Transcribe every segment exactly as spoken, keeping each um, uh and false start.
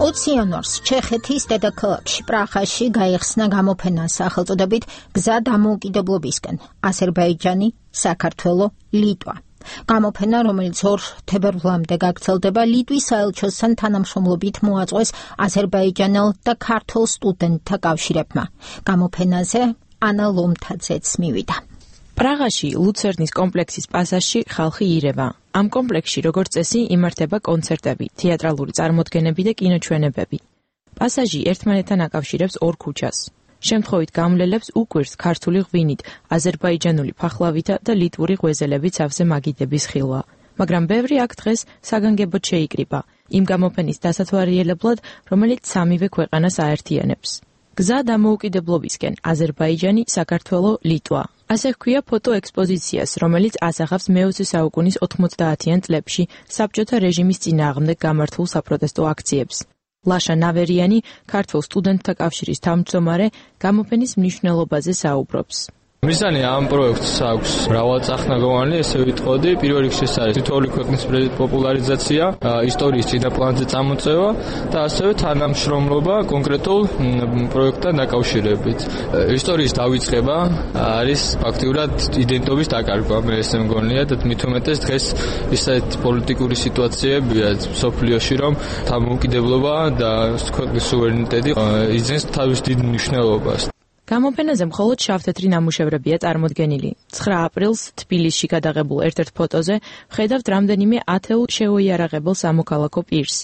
ოცი იანვარს ჩეხეთის დედაქალაქში პრაღაში გაიხსნა გამოფენა სახელწოდებით გზა დამოუკიდებლობისკენ აზერბაიჯანი, საქართველო, ლიტვა. გამოფენა, რომელიც ორ თებერვლამდე გაგრძელდება, ლიტვის საელჩოსთან თანამშრომლობით მოაწყვეს აზერბაიჯანელ და ქართულ სტუდენტთა კავშირებმა. გამოფენაზე ანა ლომთაძეც მივიდა. პრაღაში ლუცერნის კომპლექსის პასაჟში ხალხი ირევა. ამ კომპლექსში, როგორც წესი, იმართება კონცერტები, თეატრალური წარმოდგენები და კინოჩვენებები. პასაჟი ერთმანეთთან აკავშირებს ორ ქუჩას. შემთხვევით გამლელებს უკვირს ქართული ღვინით, აზერბაიჯანული ფახლავითა და ლიტვური ღვეზელებით სავსე მაგიდების ხილვა. მაგრამ ბევრი აქ დღეს საგანგებოდ შეიკრიბა, იმ გამოფენის დასათვალიერებლად, რომელიც სამივე ქვეყანას აერთიანებს. გზა დამოუკიდებლობისკენ აზერბაიჯანი, საქართველო, ლიტვა. ასე ჰქვია ფოტოექსპოზიციას, რომელიც ასახავს მეოცე საუკუნის ოთხმოცდაათიან წლებში საბჭოთა რეჟიმის წინააღმდეგ გამართულ საპროტესტო აქციებს. ლაშა ნავერიანი, ქართულ სტუდენტთა კავშირის თავმჯდომარე, გამოფენის მნიშვნელობაზე საუბრობს. მიზანი ამ პროექტს აქვს მრავალწახნაგოვანი, ესე ვიტყოდი. პირველ რიგში ეს არის თითოეული ქვეყნის პოპულარიზაცია, ისტორიის წინაპლანზე წამოწევა და ასევე თანამშრომლობა კონკრეტულ პროექტთან დაკავშირებით. ისტორიის დავიწყება არის ფაქტიურად იდენტობის დაკარგვა, მე ესე მგონია და მით უმეტეს დღეს ისეთ პოლიტიკური სიტუაციებია სოფლიოში, რომ დამოუკიდებლობა და ქვეყნის სუვერენიტეტი იძენს თავის დიდ მნიშვნელობას. გამოფენაზე მხოლოდ შავთეთრი ნამუშევრებია წარმოდგენილი. ცხრა აპრილს თბილისში გადაღებულ ერთ-ერთ ფოტოზე ვხედავთ რამდენიმე ათეულ შეუიარაღებელ სამოქალაქო პირს.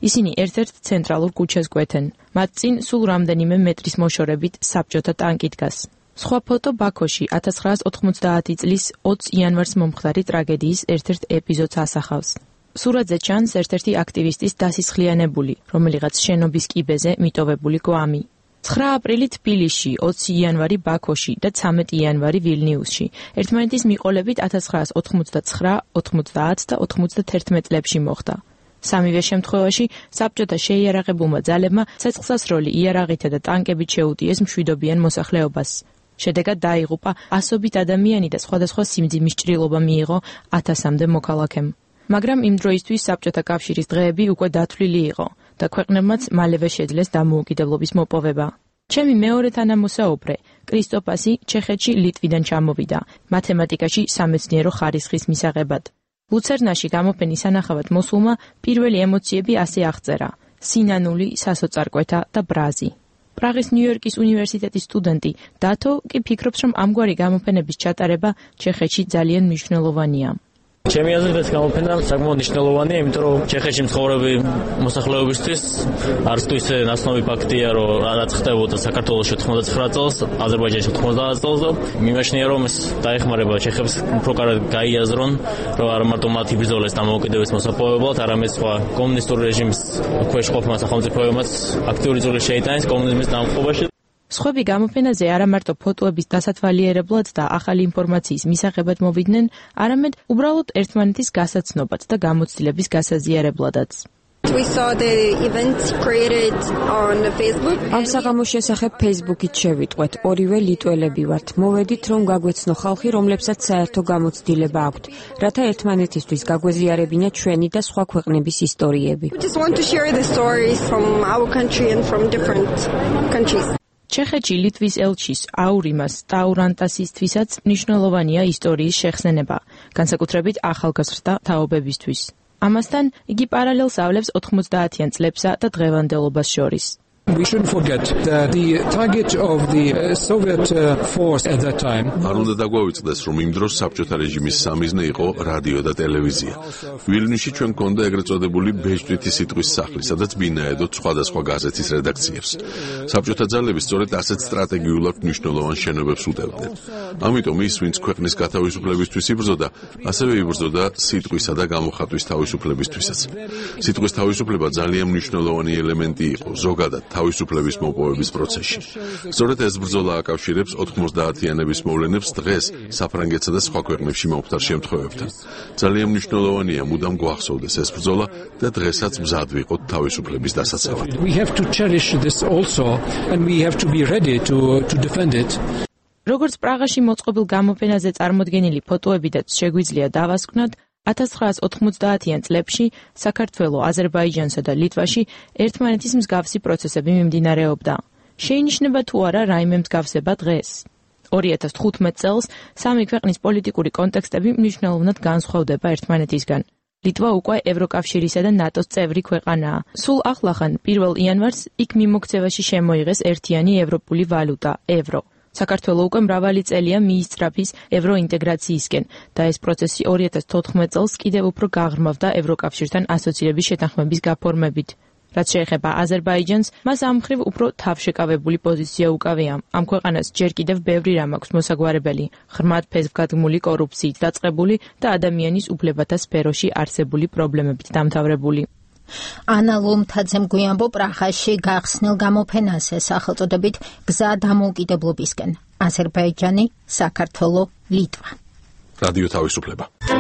ისინი ერთ-ერთ ცენტრალურ ქუჩას კვეთენ. მათ წინ სულ რამდენიმე მეტრის მოშორებით საბჭოთა ტანკი დგას. სხვა ფოტო ბაქოში ათას ცხრაას ოთხმოცდაათი წლის ოცი იანვარს მომხდარი ტრაგედიის ერთ-ერთ ეპიზოდს ასახავს. სურათზე ჩანს ერთ-ერთი აქტივისტის დასისხლიანებული, რომელიღაც შენობის კიბეზე მიტოვებული გვამი. ცხრა აპრილი თბილისში, ოცი იანვარი ბაქოში და ცამეტი იანვარი ვილნიუსში. ერთმანეთის მიყოლებით ათას ცხრაას ოთხმოცდაცხრა, ოთხმოცდაათ და ოთხმოცდათერთმეტ წლებში მოხდა. სამივე შემთხვევაში საბჭოთა შეიარაღებულმა ძალებმა ცეცხლსასროლი იარაღითა და ტანკებით შეუტიეს მშვიდობიან მოსახლეობას. შედეგად დაიღუპა ასობით ადამიანი და სხვადასხვა სიმძიმის ჭრილობა მიიღო ათასამდე მოქალაქემ. მაგრამ იმ დროისთვის საბჭოთა კავშირის დღეები უკვე დათვლილი იყო და ქვეყნებმაც მალევე შეძლეს დამოუკიდებლობის მოპოვება. ჩემი მეორე თანამოსაუბრე, კრისტოპასი, ჩეხეთში ლიტვიდან ჩამოვიდა, მათემატიკაში სამეცნიერო ხარისხის მისაღებად. ლუცერნაში გამოფენის სანახავად მოსულმა პირველი ემოციები ასე აღწერა: სინანული, სასოწარკვეთა და ბრაზი. პრაღის ნიუ-იორკის უნივერსიტეტის სტუდენტი დათო კი ფიქრობს, რომ ამგვარი გამოფენების ჩატარება ჩეხეთში ძალიან მნიშვნელოვანია. ჩემი აზრით ეს გამოფენა საკმაოდ მნიშვნელოვანია, იმიტომ რომ ჩეხეთში მცხოვრები მოსახლეობისთვის არც თუ ისე ნაცნობი ფაქტია, რომ რაც ხდებოდა საქართველოში ოთხმოცდაცხრა წელს, აზერბაიჯანში ოთხმოცდაათ წელს და მიმაჩნია, რომ ეს დაეხმარება ჩეხებს უფრო კარგად გაიაზრონ, რომ არა მარტო მათ იბრძოლეს დამოუკიდებლობის მოსაპოვებლად, არამედ სხვა კომუნისტური რეჟიმის ქვეშ ყოფმა სახელმწიფოებმაც აქტიური წვლილი შეიტანეს კომუნიზმის დამხობაში. სხვები გამოფენაზე არა მარტო ფოტოების დასათვალიერებლად და ახალი ინფორმაციის მისაღებად მოვიდნენ, არამედ უბრალოდ ერთმანეთის გასაცნობად და გამოცდილების გასაზიარებლადაც. We saw the events created on Facebook. ამ საღამოს შესახებ Facebook-ით შევიტყვეთ. ორივე ლიტველები ვართ. მოვედით, რომ გაგვეცნო ხალხი, რომლებსაც საერთო გამოცდილება აქვთ, რათა ერთმანეთისთვის გაგვეზიარებინა ჩვენი და სხვა ქვეყნების ისტორიები. We just want to share the stories from our country and from different countries. ჩეხეთში ლიტვის ელჩის აურიმას ტაურანტასისთვისაც მნიშვნელოვანია ისტორიის შეხსენება, განსაკუთრებით ახალგაზრდა თაობებისთვის. ამასთან იგი პარალელს ავლებს ოთხმოცდაათიან წლებსა და დღევანდელობას შორის. We shouldn't forget that the target of the Soviet force at that time. არ უნდა დაგვავიწყდეს, რომ იმ დროს საბჭოთა რეჟიმის სამიზნე იყო რადიო და ტელევიზია. ვილნიუსში ჩვენ გქონდა ეგრეთ წოდებული ბეჭდვითი სიტყვის სახლი, სადაც ბინაედოთ სხვადასხვა გაზეთის რედაქციებს. საბჭოთა ძალები სწორედ ასეთ სტრატეგიულად მნიშვნელოვან შენობებს უტევდნენ. ამიტომ ის, ვინც ქვეყნის გათავისუფლებისთვის იბრძოდა, ასევე იბრძოდა სიტყვისა და გამოხატვის თავისუფლებისთვისაც. სიტყვის თავისუფლება ძალიან მნიშვნელოვანი ელემენტი იყო ზოგადად თავისუფლების მოპოვების პროცესში. სწორედ ეს ბრძოლა აკავშირებს ოთხმოცდაათიანების მოვლენებს დღეს საფრანგეთსა და სხვა ქვეყნებში მომხდარ შემთხვევებთან. ძალიან მნიშვნელოვანია მუდამ გვახსოვდეს ეს ბრძოლა და დღესაც მზად ვიყოთ თავისუფლების დასაცავად. We have to cherish this also and we have to be ready to to defend it. როგორც პრაღაში მოწყობილ გამოფენაზე წარმოდგენილი ფოტოებიდაც შეგვიძლია დავასკვნათ, ათას ცხრაას ოთხმოცდაათიან წლებში საქართველო, აზერბაიჯანსა და ლიტვაში ერთმანეთის მსგავსი პროცესები მიმდინარეობდა. შეინიშნება თუ არა რაიმე მსგავსება დღეს? ორი ათას თხუთმეტ წელს სამი ქვეყნის პოლიტიკური კონტექსტები მნიშვნელოვნად განსხვავდება ერთმანეთისგან. ლიტვა უკვე ევროკავშირისა და ნატოს წევრი ქვეყანაა. სულ ახლახან პირველ იანვარს იქ მიმოქცევაში შემოიღეს ერთიანი ევროპული ვალუტა, ევრო. საქართველო უკვე მრავალი წელია მიისწრაფის ევროინტეგრაციისკენ და ეს პროცესი ორი ათას თოთხმეტ წელს კიდევ უფრო გაღრმავდა ევროკავშირთან ასოცირების შეთანხმების გაფორმებით. რაც შეეხება აზერბაიჯანს, მას ამ მხრივ უფრო თავშეკავებული პოზიცია უკავია. ამ ქვეყანას ჯერ კიდევ ბევრი რამ აქვს მოსაგვარებელი, ღრმად ფესვგადგმული კორუფციით დაწყებული და ადამიანის უფლებათა სფეროში არსებული პრობლემებით დამთავრებული. ანა ლომთაძემ გვიანბო პრაღაში გახსნილ გამოფენაზე სახელწოდებით გზა დამოუკიდებლობისკენ. აზერბაიჯანი, საქართველო, ლიტვა. რადიო თავისუფლება.